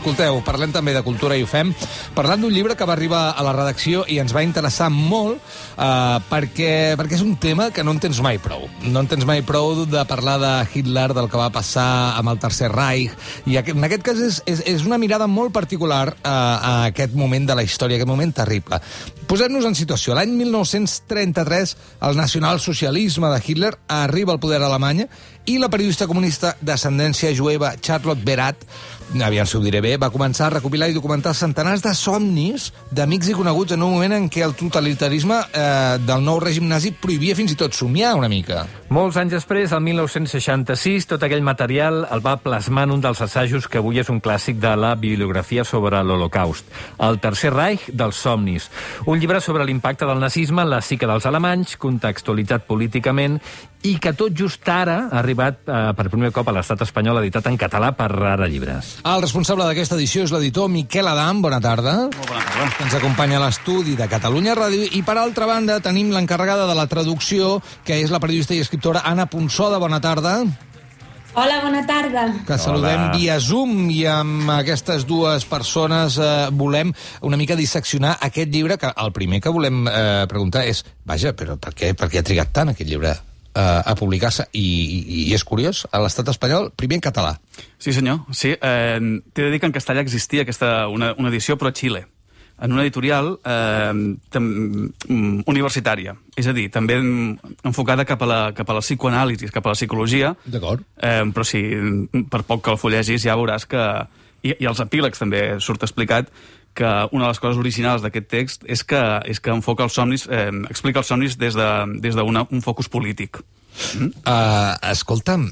Escolteu, parlem també de cultura i ho fem parlant d'un llibre que va arribar a la redacció i ens va interessar molt perquè és un tema que no en tens mai prou. No en tens mai prou de parlar de Hitler, del que va passar amb el Tercer Reich, i en aquest cas és una mirada molt particular a aquest moment de la història, aquest moment terrible. Posem-nos en situació. L'any 1933, el nacionalsocialisme de Hitler arriba al poder a Alemanya i la periodista comunista d'ascendència jueva Charlotte Berat, aviam si ho diré bé, va començar a recopilar i documentar centenars de somnis d'amics i coneguts en un moment en què el totalitarisme del nou règim nazi prohibia fins i tot somiar una mica. Molts anys després, el 1966, tot aquell material el va plasmar en un dels assajos que avui és un clàssic de la bibliografia sobre l'Holocaust, El Tercer Reich dels somnis, un llibre sobre l'impacte del nazisme en la psique dels alemanys, contextualitzat políticament, i que tot just ara ha arribat per primer cop a l'estat espanyol, editat en català per Ara Llibres. El responsable d'aquesta edició és l'editor Miquel Adam. Bona tarda. Molt bona tarda. Que ens acompanya a l'estudi de Catalunya Ràdio. I per altra banda tenim l'encarregada de la traducció, que és la periodista i escriptora Anna Ponsoda. Bona tarda. Hola, bona tarda. Que saludem via Zoom, i amb aquestes dues persones volem una mica disseccionar aquest llibre, que el primer que volem preguntar és, vaja, però per què ha trigat tant aquest llibre a publicar-se? I és curiós, a l'estat espanyol, primer en català. Sí, senyor. Sí, t'he de dir que en castellà existia una edició, però a Xile, en una editorial universitària. És a dir, també enfocada cap a la psicoanàlisi, cap a la psicologia. D'acord. Però sí, per poc que el fullegis ja veuràs que... I els epílegs també surt explicat que una de les coses originals d'aquest text és que enfoca els somnis, explica els somnis des d'un focus polític. Escolta'm,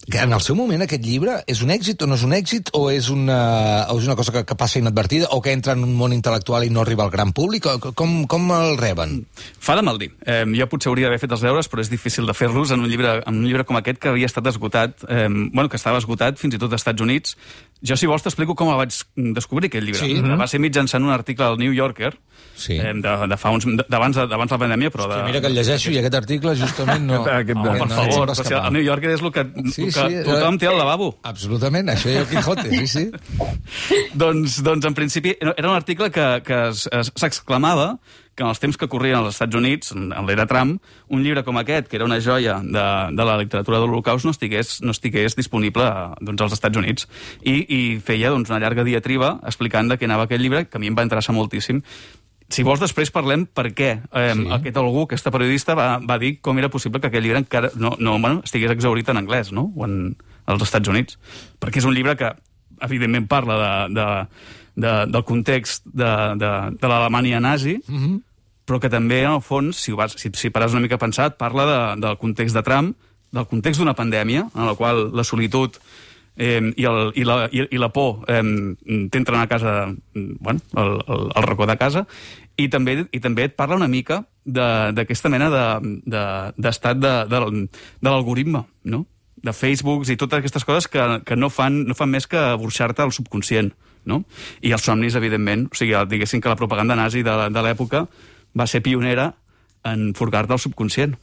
que en el seu moment aquest llibre és un èxit o no és un èxit, o és una cosa que passa inadvertida, o que entra en un món intel·lectual i no arriba al gran públic? Com el reben? Fa de mal dir. Jo potser hauria d'haver fet els deures, però és difícil de fer-los en un llibre com aquest que havia estat esgotat, que estava esgotat fins i tot als Estats Units. Jo, si vols, t'explico com el vaig descobrir, aquest llibre. Sí. Va ser mitjançant un article al New Yorker, sí, d'abans la pandèmia, però... Mira que el llegeixo i aquest article justament no... Per favor, el New Yorker és el que tothom té al lavabo. Absolutament, això és el Quijote, sí. Doncs, en principi, era un article que s'exclamava que en els temps que corrien als Estats Units, en l'era Trump, un llibre com aquest, que era una joia de la literatura de l'Holocaust, no estigués disponible als Estats Units. I feia una llarga diatriba explicant de què anava aquest llibre, que a mi em va interessar moltíssim. Si vols, després parlem per què aquesta periodista va dir com era possible que aquest llibre encara estigués exhaurit en anglès, no? O als Estats Units. Perquè és un llibre que, evidentment, parla del context de l'Alemanya nazi, però que també, en el fons, si pares una mica a pensar, parla del context de Trump, del context d'una pandèmia, en la qual la solitud i la por t'entren a casa, al racó de casa, i també et parla una mica d'aquesta mena d'estat de l'algoritme, no? De Facebooks i totes aquestes coses que no fan més que burxar-te al subconscient, no? I els somnis, evidentment, o sigui, diguéssim que la propaganda nazi de l'època va ser pionera en furgar-te el subconscient.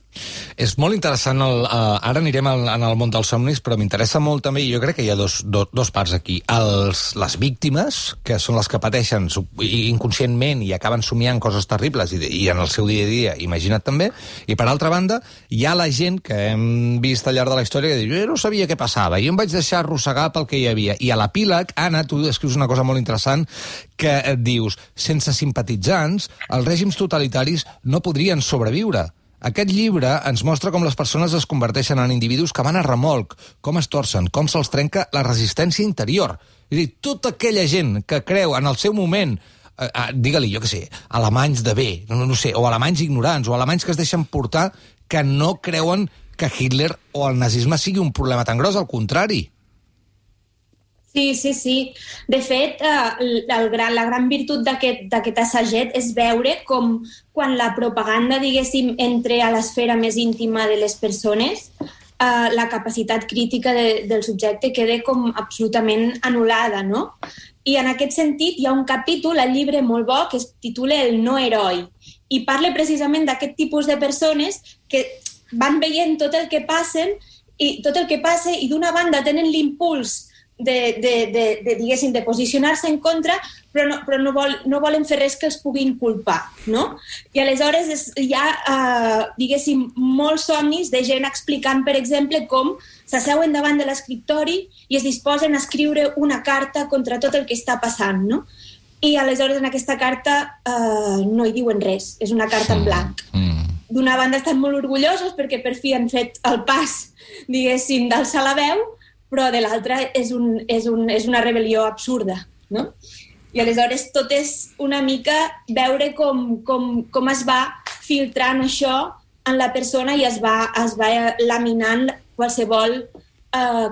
És molt interessant, ara anirem en el món dels somnis, però m'interessa molt també, i jo crec que hi ha dos parts aquí. Les víctimes, que són les que pateixen inconscientment i acaben somiant coses terribles, i en el seu dia a dia, imagina't també, i per altra banda, hi ha la gent que hem vist al llarg de la història que diu, jo no sabia què passava, jo em vaig deixar arrossegar pel que hi havia. I a l'epíleg, Anna, tu escrius una cosa molt interessant, que et dius, sense simpatitzants, els règims totalitaris no podrien sobreviure. Aquest llibre ens mostra com les persones es converteixen en individus que van a remolc, com es torcen, com se'ls trenca la resistència interior. És a dir, tota aquella gent que creu en el seu moment, digue-li, jo què sé, alemanys de bé, no sé, o alemanys ignorants, o alemanys que es deixen portar, que no creuen que Hitler o el nazisme sigui un problema tan gros, al contrari. Sí. De fet, la gran virtut d'aquest assaget és veure com quan la propaganda, diguéssim, entra a l'esfera més íntima de les persones, la capacitat crítica del subjecte queda com absolutament anul·lada, no? I en aquest sentit hi ha un capítol al llibre molt bo que es titula El no heroi i parla precisament d'aquest tipus de persones que van veient tot el que passa i d'una banda tenen l'impuls diguéssim, de posicionar-se en contra, però no volen fer res que els puguin culpar, no? I aleshores hi ha, diguéssim, molts somnis de gent explicant, per exemple, com s'asseuen davant de l'escriptori i es disposen a escriure una carta contra tot el que està passant, no? I aleshores en aquesta carta no hi diuen res, és una carta en blanc. D'una banda estan molt orgullosos perquè per fi han fet el pas, diguéssim, d'alçar la veu, però de l'altra és una rebel·lió absurda, no? I aleshores tot és una mica veure com es va filtrant això en la persona i es va laminant qualsevol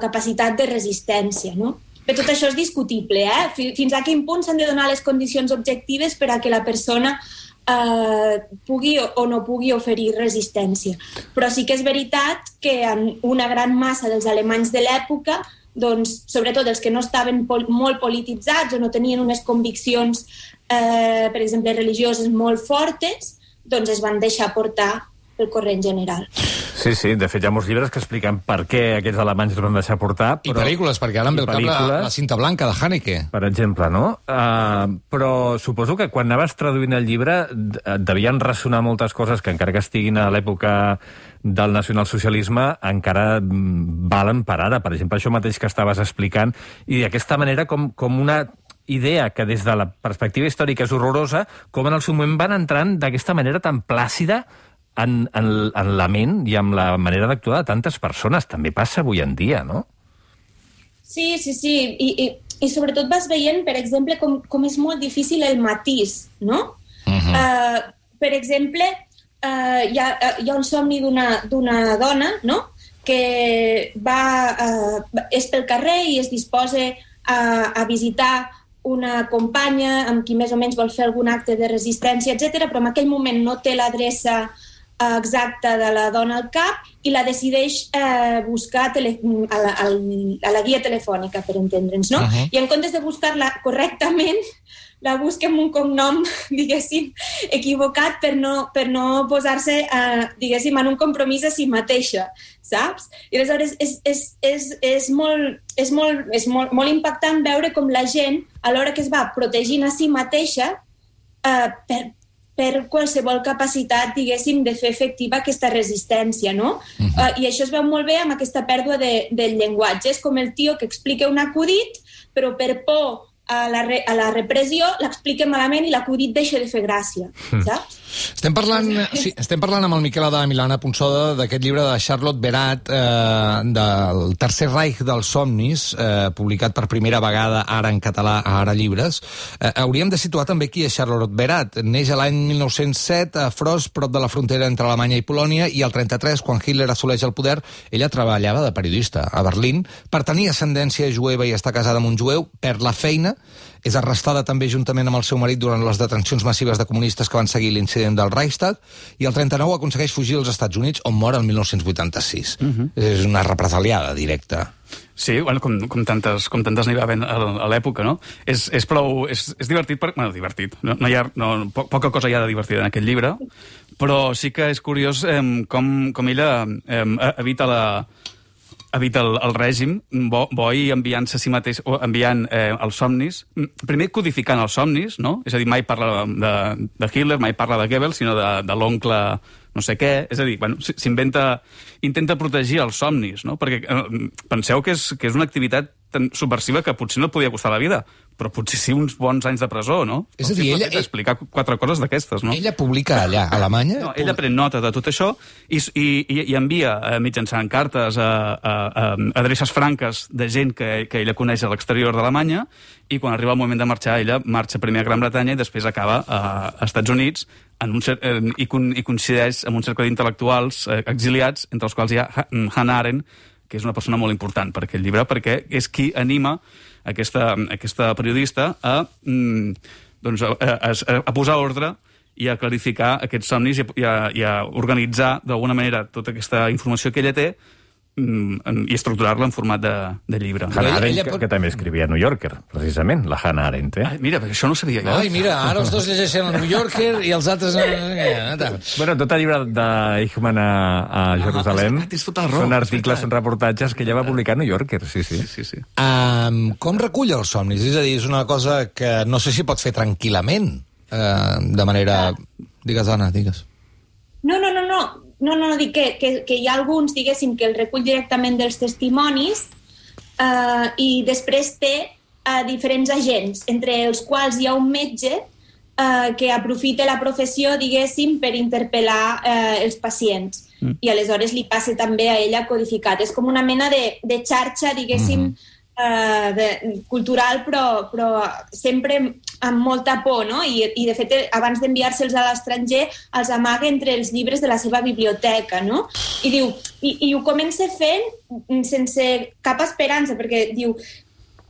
capacitat de resistència, no? Però tot això és discutible, Fins a quin punt s'han de donar les condicions objectives per a que la persona pugui o no pugui oferir resistència. Però sí que és veritat que en una gran massa dels alemanys de l'època, doncs, sobretot els que no estaven molt polititzats o no tenien unes conviccions, per exemple, religioses molt fortes, doncs es van deixar portar pel corrent general. Sí, de fet hi ha molts llibres que expliquen per què aquests alemanys es van deixar portar. I pel·lícules, perquè ara em ve al cap la cinta blanca de Haneke. Per exemple, no? Però suposo que quan anaves traduint el llibre devien ressonar moltes coses que encara que estiguin a l'època del nacionalsocialisme encara valen per ara. Per exemple, això mateix que estaves explicant, i d'aquesta manera com una idea que des de la perspectiva històrica és horrorosa, com en el seu moment van entrant d'aquesta manera tan plàcida en la ment i amb la manera d'actuar de tantes persones. També passa avui en dia, no? Sí. I sobretot vas veient, per exemple, com és molt difícil el matís, no? Per exemple, hi ha un somni d'una dona, no?, que és pel carrer i es disposa a visitar una companya amb qui més o menys vol fer algun acte de resistència, etc., però en aquell moment no té l'adreça exacta de la dona al cap i la decideix buscar a la guia telefònica, per entendre'ns, no? I en comptes de buscar-la correctament, la busca amb un cognom, diguéssim, equivocat per no posar-se, diguéssim, en un compromís a si mateixa, saps? I aleshores és molt impactant veure com la gent, a l'hora que es va protegint a si mateixa, per qualsevol capacitat, diguéssim, de fer efectiva aquesta resistència, no? I això es veu molt bé amb aquesta pèrdua del llenguatge. És com el tio que explica un acudit, però per por a la repressió l'explica malament i l'acudit deixa de fer gràcia, saps? Estem parlant amb el Miquel Adam i l'Anna Ponsoda d'aquest llibre de Charlotte Beradt, del Tercer Reich dels somnis, publicat per primera vegada ara en català a Ara Llibres. Hauríem de situar també qui és Charlotte Beradt. Neix l'any 1907 a Frost, prop de la frontera entre Alemanya i Polònia, i el 33, quan Hitler assoleix el poder, ella treballava de periodista a Berlín, per tenir ascendència jueva i estar casada amb un jueu, perd la feina, és arrestada també juntament amb el seu marit durant les detencions massives de comunistes que van seguir l'incident del Reichstag, i el 39 aconsegueix fugir als Estats Units, on mor el 1986. És una represaliada directa. Sí, bueno, com tantes n'hi va haver a l'època, no? És divertit, divertit. Poca cosa hi ha de divertida en aquest llibre, però sí que és curiós com ella evita el règim, bo i enviant-se a si mateix, o enviant els somnis, primer codificant els somnis, no? És a dir, mai parla de Hitler, mai parla de Goebbels, sinó de l'oncle no sé què, és a dir, bueno, intenta protegir els somnis, no? Perquè penseu que és una activitat tan subversiva que potser no et podia costar la vida, però potser sí uns bons anys de presó, no? És a dir, ella explicar 4 coses d'aquestes, no? Ella publica allà, a Alemanya? No, ella pren nota de tot això i envia mitjançant cartes a adreces franques de gent que ella coneix a l'exterior d'Alemanya, i quan arriba el moment de marxar, ella marxa primer a Gran Bretanya i després acaba a Estats Units i coincideix amb un cercle d'intel·lectuals exiliats, entre els quals hi ha Hannah Arendt, que és una persona molt important per aquest llibre, perquè és qui anima aquesta periodista a posar ordre i a clarificar aquests somnis i a organitzar d'alguna manera tota aquesta informació que ella té i estructurar-la en format de llibre. Hannah Arendt, que també escrivia a New Yorker, precisament, la Hannah Arendt. Mira, perquè això no ho sabia jo. Ai, mira, ara els dos llegeixen el New Yorker i els altres... Bueno, tot el llibre d'Eichmann a Jerusalem són articles, són reportatges que ella va publicar a New Yorker, sí. Com recull els somnis? És a dir, és una cosa que no sé si pot fer tranquil·lament, de manera... Digues, Anna, digues. No, dic que hi ha alguns, diguéssim, que el recull directament dels testimonis i després té diferents agents, entre els quals hi ha un metge que aprofita la professió, diguéssim, per interpel·lar els pacients. I aleshores li passa també a ella codificat. És com una mena de xarxa, diguéssim, cultural, però sempre amb molta por, no? I de fet, abans d'enviar-se'ls a l'estranger, els amaga entre els llibres de la seva biblioteca, no? I diu, i ho comença fent sense cap esperança, perquè diu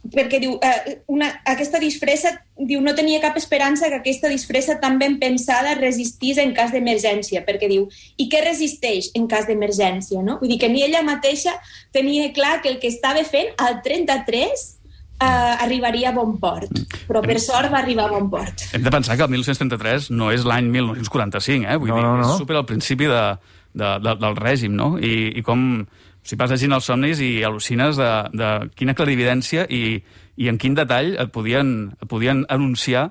aquesta disfressa, diu, no tenia cap esperança que aquesta disfressa tan ben pensada resistís en cas d'emergència, perquè diu, i què resisteix en cas d'emergència, no? Vull dir que ni ella mateixa tenia clar que el que estava fent al 33 arribaria a bon port, però per sort va arribar a bon port. Hem de pensar que el 1933 no és l'any 1945, Vull dir, és super al principi del règim, no? I com... Si vas llegint els somnis i al·lucines de quina clarividència i en quin detall et podien anunciar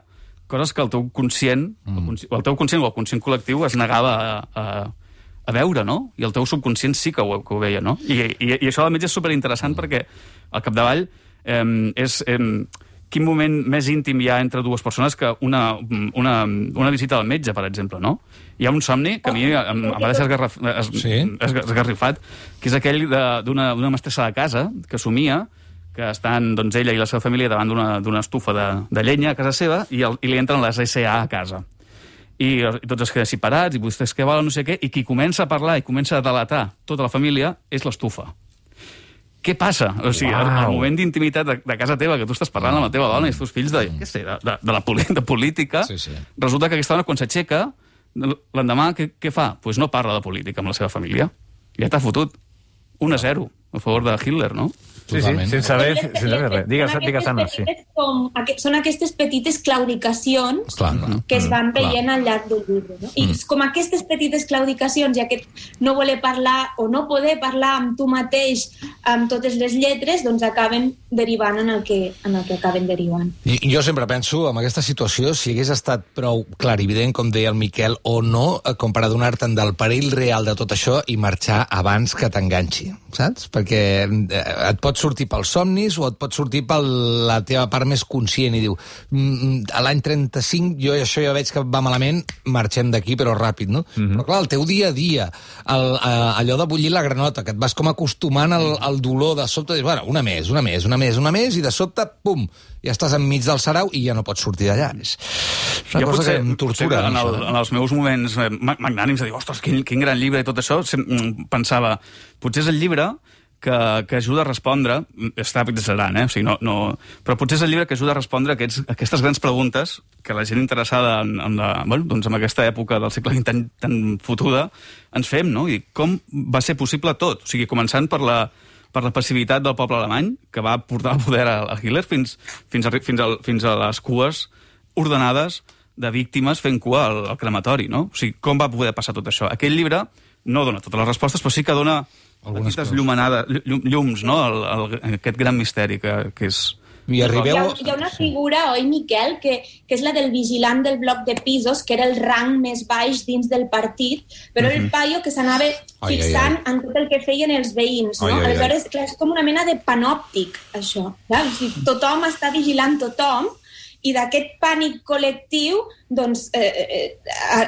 coses que el teu conscient, o el conscient col·lectiu es negava a veure, no? I el teu subconscient sí que ho veia, no? I això, a més, és superinteressant perquè, al capdavall, és... Quin moment més íntim hi ha entre dues persones que una visita al metge, per exemple, no? Hi ha un somni que a mi em va deixar esgarrifat, que és aquell d'una mestressa de casa que somia que estan ella i la seva família davant d'una estufa de llenya a casa seva i li entren les SA a casa. I tots es queden separats, i vostès què volen, no sé què, i qui comença a parlar i comença a delatar tota la família és l'estufa. Què passa? O sigui, el moment d'intimitat de casa teva, que tu estàs parlant amb la teva dona i els teus fills de política, resulta que aquesta dona, quan s'aixeca, l'endemà, què fa? Doncs no parla de política amb la seva família. Ja t'ha fotut 1-0 a favor de Hitler, no? Sí, sense saber res. Digues, Anna, sí. Són aquestes petites claudicacions que es van veient al llarg del llibre. No? I com aquestes petites claudicacions i aquest no voler parlar o no poder parlar amb tu mateix amb totes les lletres, doncs acaben derivant en el que acaben derivant. I jo sempre penso, en aquesta situació, si hagués estat prou clarivident, com deia el Miquel, o no, com per adonar-te'n del perill real de tot això i marxar abans que t'enganxi, saps? Perquè et pot sortir pels somnis o et pot sortir per la teva part més conscient i diu, a l'any 35 això ja veig que va malament, marxem d'aquí però ràpid, no? Però clar, el teu dia a dia, allò de bullir la granota, que et vas com acostumant al dolor de sobte, dius, bueno, una més, i de sobte, pum, ja estàs enmig del sarau i ja no pots sortir d'allà. És una cosa que em tortura. En els meus moments magnànims de dir, ostres, quin gran llibre i tot això, pensava, potser és el llibre que ajuda a respondre, està exagerant, o sigui, però potser és el llibre que ajuda a respondre aquestes grans preguntes que la gent interessada en aquesta època del segle XX tan fotuda ens fem, no? I com va ser possible tot? O sigui, començant per la passivitat del poble alemany, que va portar al poder a Hitler, fins a les cues ordenades de víctimes fent cua al crematori, no? O sigui, com va poder passar tot això? Aquell llibre no dona totes les respostes, però sí que dona petites llums, no? Aquest gran misteri que és... Hi ha una figura, oi, Miquel, que és la del vigilant del bloc de pisos, que era el rang més baix dins del partit, però el paio que s'anava fixant en tot el que feien els veïns, no? Aleshores, clar, és com una mena de panòptic, això. Clar? O sigui, tothom està vigilant tothom, i d'aquest pànic col·lectiu doncs,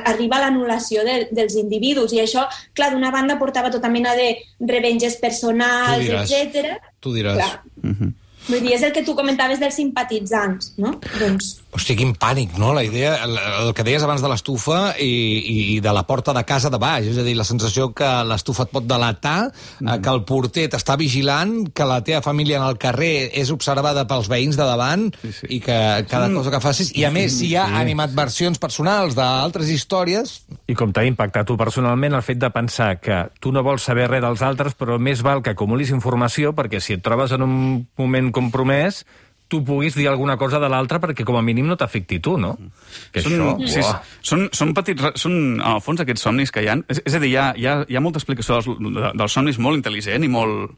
arriba l'anul·lació dels individus. I això, clar, d'una banda portava tota mena de revenges personals, etc. Tu diràs. Vull dir, és el que tu comentaves dels simpatitzants, no? Doncs... Hosti, quin pànic, no? La idea, el que deies abans de l'estufa i de la porta de casa de baix, és a dir, la sensació que l'estufa et pot delatar, que el porter t'està vigilant, que la teva família en el carrer és observada pels veïns de davant i que cada cosa que facis... I a més, si hi ha animadversions personals d'altres històries... I com t'ha impactat tu personalment el fet de pensar que tu no vols saber res dels altres, però més val que acumulis informació perquè si et trobes en un moment compromès tu puguis dir alguna cosa de l'altre perquè com a mínim no t'afecti tu, no? Que Són petits... Són, en el fons, aquests somnis que hi ha... És a dir, hi ha molta explicació dels somnis molt intel·ligent i molt...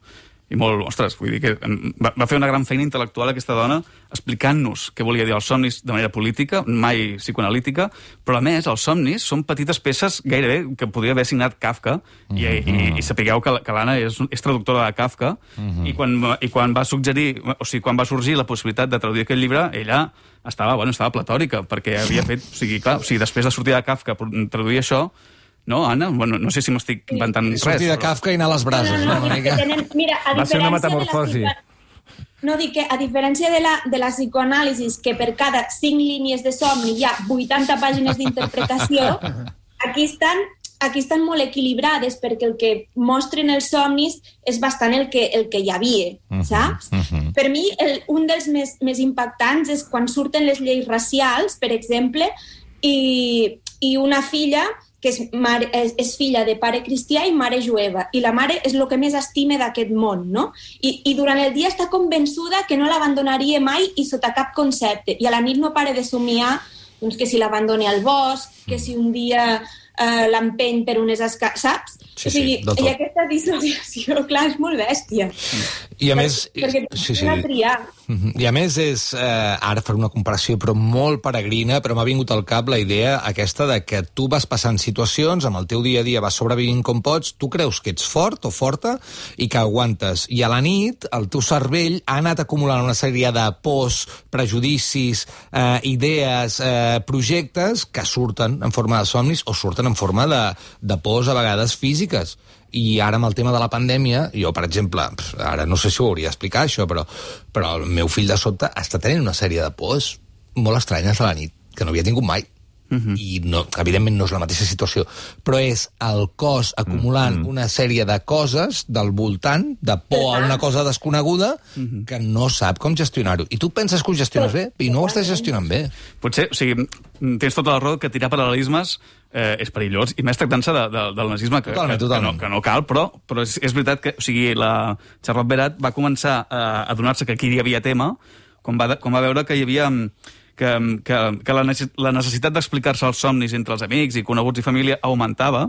ostres, vull dir que va fer una gran feina intel·lectual aquesta dona explicant-nos què volia dir els somnis de manera política, mai psicoanalítica, però a més els somnis són petites peces gairebé que podria haver signat Kafka i sapigueu que l'Anna és traductora de Kafka i quan va suggerir, o sigui, quan va sorgir la possibilitat de traduir aquest llibre, ella estava platòrica, perquè havia fet, després de sortir de Kafka traduir això. No, Anna? Bueno, no sé si m'estic inventant res. Sortir de Kafka i anar a les brases. Mira, va ser una metamorfosi. No, dic que a diferència de la psicoanàlisi, que per cada 5 línies de somni hi ha 80 pàgines d'interpretació, aquí estan molt equilibrades perquè el que mostren els somnis és bastant el que hi havia, saps? Per mi, un dels més impactants és quan surten les lleis racials, per exemple, i una filla que és filla de pare cristià i mare jueva, i la mare és el que més estime d'aquest món, no? I durant el dia està convençuda que no l'abandonaria mai i sota cap concepte, i a la nit no para de somiar doncs, que si l'abandoni al bosc, que si un dia l'empeny per unes escales, saps? Sí, o sigui, sí, i aquesta dissociació, clar, és molt bèstia. I a més... Perquè t'ha triar. I a més és, ara faré una comparació però molt peregrina, però m'ha vingut al cap la idea aquesta de que tu vas passant situacions, amb el teu dia a dia vas sobrevivint com pots, tu creus que ets fort o forta i que aguantes. I a la nit el teu cervell ha anat acumulant una sèrie de pors, prejudicis, idees, projectes que surten en forma de somnis o surten en forma de pors a vegades físiques. I ara amb el tema de la pandèmia, jo, per exemple, ara no sé si ho hauria d'explicar això, però el meu fill de sobte està tenint una sèrie de pors molt estranyes a la nit, que no havia tingut mai. I no, evidentment no és la mateixa situació, però és el cos acumulant una sèrie de coses del voltant, de por a una cosa desconeguda, que no sap com gestionar-ho. I tu penses que ho gestiones bé, i no ho estàs gestionant bé. Potser, o sigui, tens tota la raó que tirar paral·lelismes és perillós, i més tractant-se del nazisme, que no cal, però és veritat que, o sigui, la Charlotte Berat va començar a adonar-se que aquí hi havia tema, quan va veure que hi havia... que la necessitat d'explicar-se els somnis entre els amics i coneguts i família augmentava,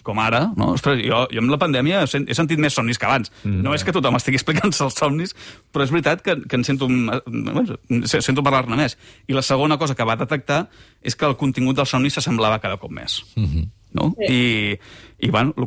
com ara, no? Ostres, jo amb la pandèmia he sentit més somnis que abans. No és que tothom estigui explicant-se els somnis, però és veritat que en sento parlar-ne més. I la segona cosa que va detectar és que el contingut dels somnis s'assemblava cada cop més. No? I bueno, el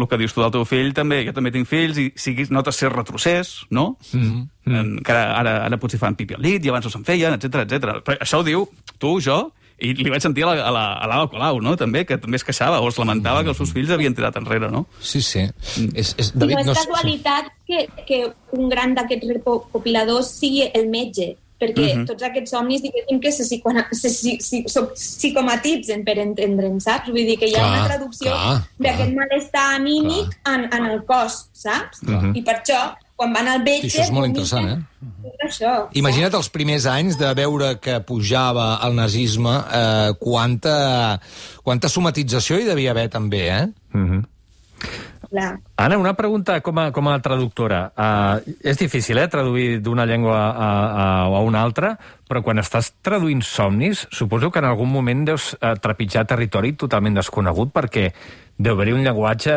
que dius tu del teu fill també, jo també tinc fills i notes ser retrocés, no? Que ara potser fan pipi al llit i abans no se'n feien, etc. Però això ho diu tu, jo, i li vaig sentir a l'Ava Colau, no? També, que també es queixava o es lamentava que els seus fills havien tirat enrere, no? Sí. David, no és casualitat que un gran d'aquests recopiladors sigui el metge, perquè tots aquests somnis, diguéssim, que se psicomatitzen, per entendre'ns, saps? Vull dir que hi ha una traducció d'aquest malestar anímic en el cos, saps? I per això, quan van al metge... Això és molt interessant, Imagina't els primers anys de veure que pujava el nazisme, quanta somatització hi devia haver, també, Anna, una pregunta com a traductora. És difícil, traduir d'una llengua a una altra, però quan estàs traduint somnis, suposo que en algun moment deus trepitjar territori totalment desconegut, perquè deu haver un llenguatge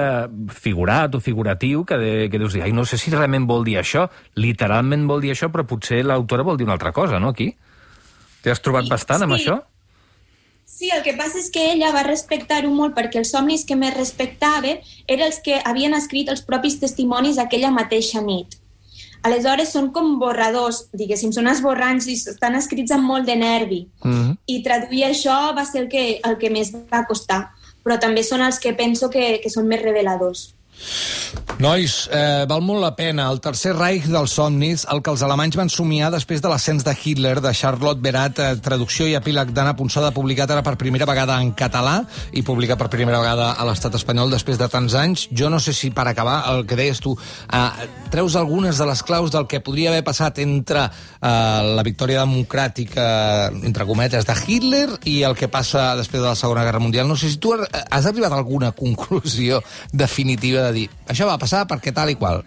figurat o figuratiu que deus dir, no sé si realment vol dir això, literalment vol dir això, però potser l'autora vol dir una altra cosa, no, aquí? T'has trobat bastant amb això? Sí, el que passa és que ella va respectar-ho molt perquè els somnis que més respectava eren els que havien escrit els propis testimonis aquella mateixa nit. Aleshores són com borradors, diguéssim, són esborrants i estan escrits amb molt de nervi. I traduir això va ser el que més va costar, però també són els que penso que són més reveladors. Nois, val molt la pena. El Tercer Reich dels somnis, el que els alemanys van somiar després de l'ascens de Hitler, de Charlotte Berat, traducció i epíleg d'Anna Ponsada, publicat ara per primera vegada en català i publicat per primera vegada a l'estat espanyol després de tants anys. Jo no sé si, per acabar, el que deies tu, treus algunes de les claus del que podria haver passat entre la victòria democràtica, entre cometes, de Hitler i el que passa després de la Segona Guerra Mundial. No sé si tu has arribat a alguna conclusió definitiva de dir això va passar perquè tal i qual.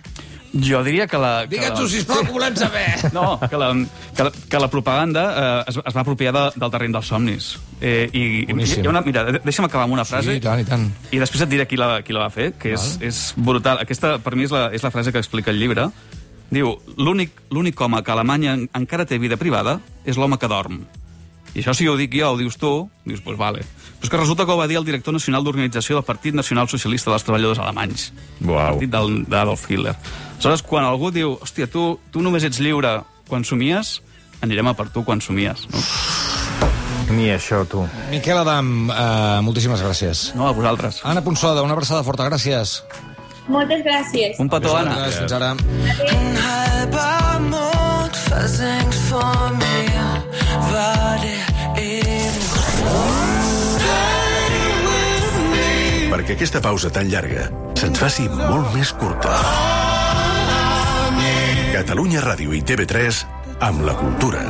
Jo diria que la... Digue'ns-ho, sisplau, que volem saber. No, que la propaganda es va apropiar del terreny dels somnis. Mira, deixa'm acabar amb una frase. Sí, i tant. I després et diré qui la va fer, que és brutal. Aquesta, per mi, és la frase que explica el llibre. Diu, l'únic home que a Alemanya encara té vida privada és l'home que dorm. I això, si ho dic jo, ho dius tu, dius, doncs vale. Però és que resulta que ho va dir el director nacional d'organització del Partit Nacional Socialista dels Treballadors Alemanys. Uau. El partit d'Adolf Hitler. Aleshores, quan algú diu, hòstia, tu només ets lliure quan somies, anirem a per tu quan somies, no? Ni això, tu. Miquel Adam, moltíssimes gràcies. No, a vosaltres. Anna Ponsada, una abraçada forta, gràcies. Moltes gràcies. Un petó, Anna. Fins ara. Perquè aquesta pausa tan llarga se'ns faci molt més curta. Catalunya Ràdio i TV3 amb la cultura.